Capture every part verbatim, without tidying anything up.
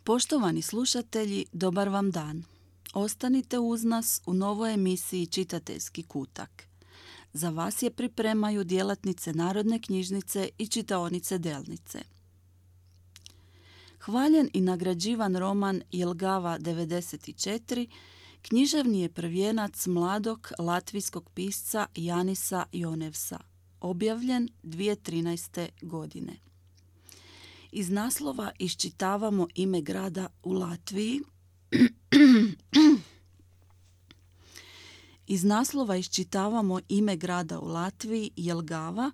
Poštovani slušatelji, dobar vam dan. Ostanite uz nas u novoj emisiji Čitateljski kutak. Za vas je pripremaju djelatnice Narodne knjižnice i čitaonice Delnice. Hvaljen i nagrađivan roman Jelgava devedeset četiri književni je prvijenac mladog latvijskog pisca Janisa Jonevsa, objavljen dvije tisuće trinaeste. godine. Iz naslova iščitavamo ime grada u Latviji. Iz naslova iščitavamo ime grada u Latviji, Jelgava,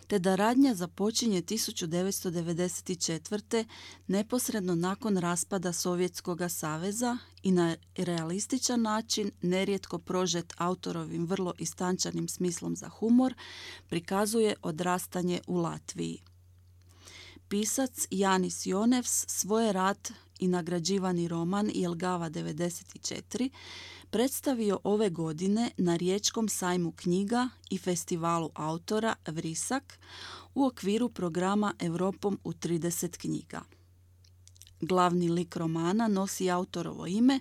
te da radnja započinje tisuću devetsto devedeset četvrte. neposredno nakon raspada Sovjetskog saveza i na realističan način, nerijetko prožet autorovim vrlo istančanim smislom za humor, prikazuje odrastanje u Latviji. Pisac Janis Jonevs svoj rad i nagrađivani roman Jelgava devedeset četiri predstavio ove godine na Riječkom sajmu knjiga i festivalu autora Vrisak u okviru programa Europom u trideset knjiga. Glavni lik romana nosi autorovo ime,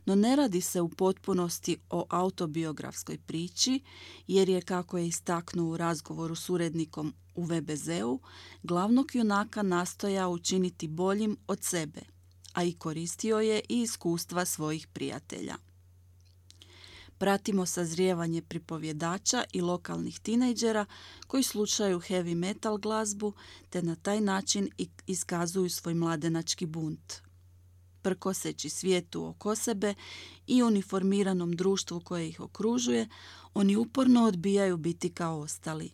no ne radi se u potpunosti o autobiografskoj priči, jer je, kako je istaknuo u razgovoru s urednikom u ve be zeu, glavnog junaka nastojao učiniti boljim od sebe, a i koristio je i iskustva svojih prijatelja. Pratimo sazrijevanje pripovjedača i lokalnih tinejdžera koji slušaju heavy metal glazbu te na taj način iskazuju svoj mladenački bunt. Prkoseći svijetu oko sebe i uniformiranom društvu koje ih okružuje, oni uporno odbijaju biti kao ostali.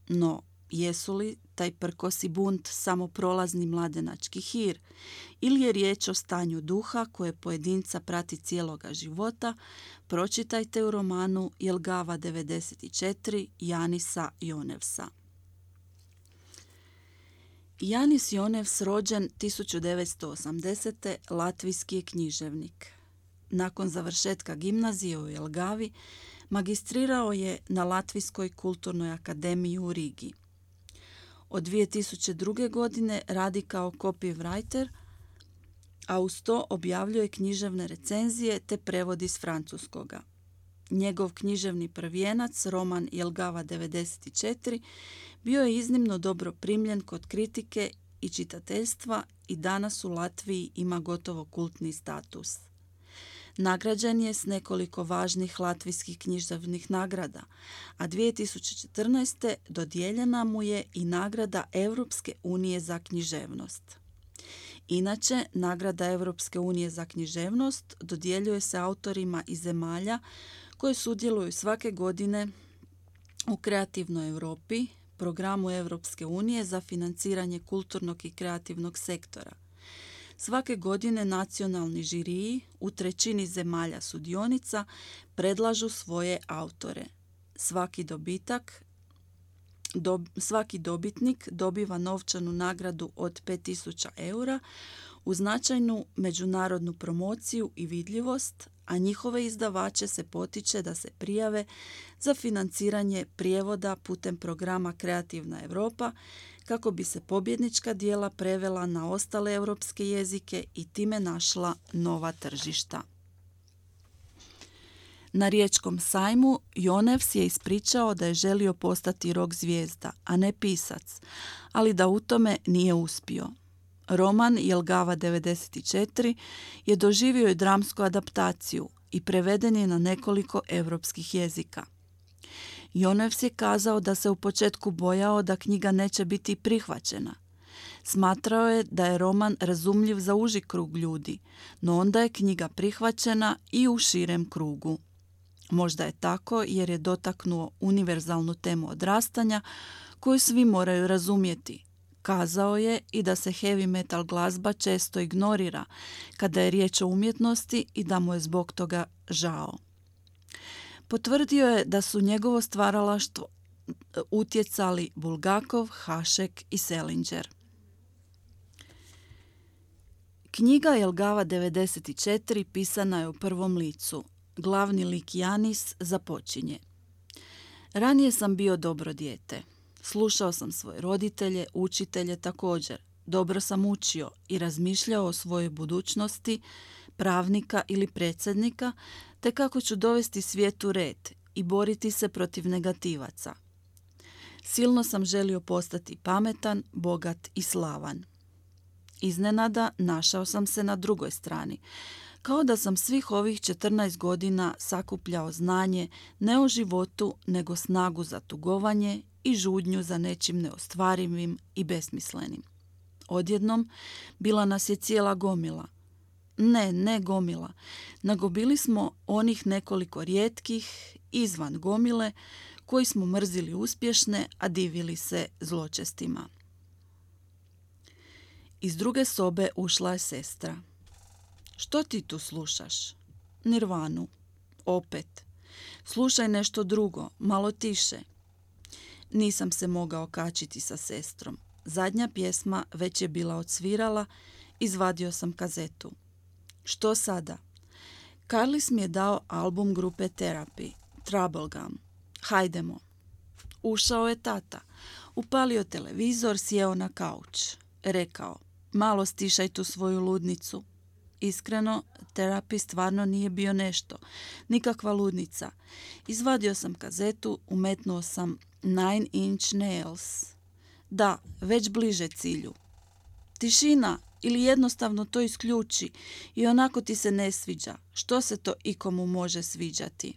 No, jesu li taj prkosi bunt samo prolazni mladenački hir ili je riječ o stanju duha koje pojedinca prati cijeloga života, pročitajte u romanu Jelgava devedeset četiri Janisa Jonevsa. Janis Jonevs, rođen tisuću devetsto osamdesete. latvijski je književnik. Nakon završetka gimnazije u Jelgavi, magistrirao je na Latvijskoj kulturnoj akademiji u Rigi. Od dvije tisuće druge. godine radi kao copywriter, a uz to objavljuje književne recenzije te prevodi s francuskoga. Njegov književni prvijenac, roman Jelgava devedeset četiri, bio je iznimno dobro primljen kod kritike i čitateljstva i danas u Latviji ima gotovo kultni status. Nagrađen je s nekoliko važnih latvijskih književnih nagrada, a dvije tisuće četrnaeste. dodijeljena mu je i nagrada Europske unije za književnost. Inače, nagrada Europske unije za književnost dodjeljuje se autorima iz zemalja koje sudjeluju svake godine u Kreativnoj Europi, programu Europske unije za financiranje kulturnog i kreativnog sektora. Svake godine nacionalni žiriji u trećini zemalja sudionica predlažu svoje autore. Svaki dobitak, dob, svaki dobitnik dobiva novčanu nagradu od pet tisuća eura uz značajnu međunarodnu promociju i vidljivost, a njihove izdavače se potiče da se prijave za financiranje prijevoda putem programa Kreativna Europa kako bi se pobjednička djela prevela na ostale europske jezike i time našla nova tržišta. Na Riječkom sajmu Jonevs je ispričao da je želio postati rock zvijezda, a ne pisac, ali da u tome nije uspio. Roman Jelgava devedeset četiri je doživio i dramsku adaptaciju i preveden je na nekoliko europskih jezika. Jonevs je kazao da se u početku bojao da knjiga neće biti prihvaćena. Smatrao je da je roman razumljiv za uži krug ljudi, no onda je knjiga prihvaćena i u širem krugu. Možda je tako jer je dotaknuo univerzalnu temu odrastanja koju svi moraju razumjeti. Kazao je i da se heavy metal glazba često ignorira kada je riječ o umjetnosti i da mu je zbog toga žao. Potvrdio je da su njegovo stvaralaštvo utjecali Bulgakov, Hašek i Selinger. Knjiga Jelgava devedeset četiri pisana je u prvom licu. Glavni lik Janis započinje. Ranije sam bio dobro dijete. Slušao sam svoje roditelje, učitelje također. dobro sam učio i razmišljao o svojoj budućnosti, pravnika ili predsjednika, te kako ću dovesti svijet u red i boriti se protiv negativaca. Silno sam želio postati pametan, bogat i slavan. Iznenada našao sam se na drugoj strani, kao da sam svih ovih četrnaest godina sakupljao znanje ne o životu, nego snagu za tugovanje i žudnju za nečim neostvarivim i besmislenim. Odjednom bila nas je cijela gomila. Ne, ne gomila, nego bili smo onih nekoliko rijetkih, izvan gomile, koji smo mrzili uspješne, a divili se zločestima. Iz druge sobe ušla je sestra. Što ti tu slušaš? Nirvanu. Opet. Slušaj nešto drugo, malo tiše. Nisam se mogao kačiti sa sestrom. Zadnja pjesma već je bila odsvirala, izvadio sam kazetu. Što sada? Carlis mi je dao album grupe Therapy, Troublegum. Hajdemo. Ušao je tata. Upalio televizor, sjeo na kauč. Rekao, malo stišaj tu svoju ludnicu. Iskreno, Therapy stvarno nije bio nešto. Nikakva ludnica. Izvadio sam kazetu, umetnuo sam Nine Inch Nails. Da, već bliže cilju. Tišina ili jednostavno to isključi i onako ti se ne sviđa. Što se to ikomu može sviđati?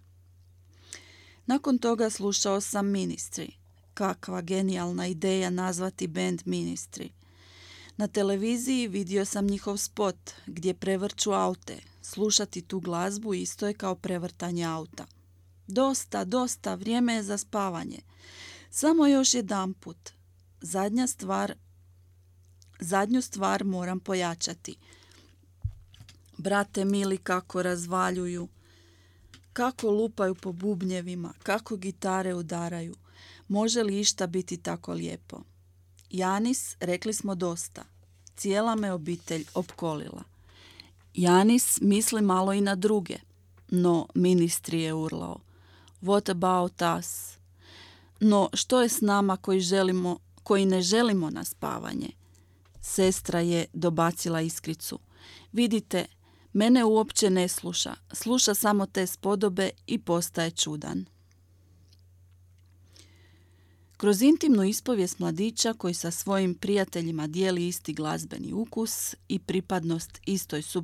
Nakon toga slušao sam Ministry. Kakva genijalna ideja nazvati band Ministry. Na televiziji vidio sam njihov spot gdje prevrću aute. Slušati tu glazbu isto je kao prevrtanje auta. Dosta, dosta, vrijeme je za spavanje. Samo još jedanput. Zadnja stvar, zadnju stvar moram pojačati. Brate mili, kako razvaljuju, kako lupaju po bubnjevima, kako gitare udaraju. Može li išta biti tako lijepo? Janis, rekli smo dosta. Cijela me obitelj opkolila. Janis misli malo i na druge, no Ministry je urlao. What about us? No što je s nama koji želimo, koji ne želimo na spavanje? Sestra je dobacila iskricu. Vidite, mene uopće ne sluša. Sluša samo te spodobe i postaje čudan. Kroz intimnu ispovijest mladića koji sa svojim prijateljima dijeli isti glazbeni ukus i pripadnost istoj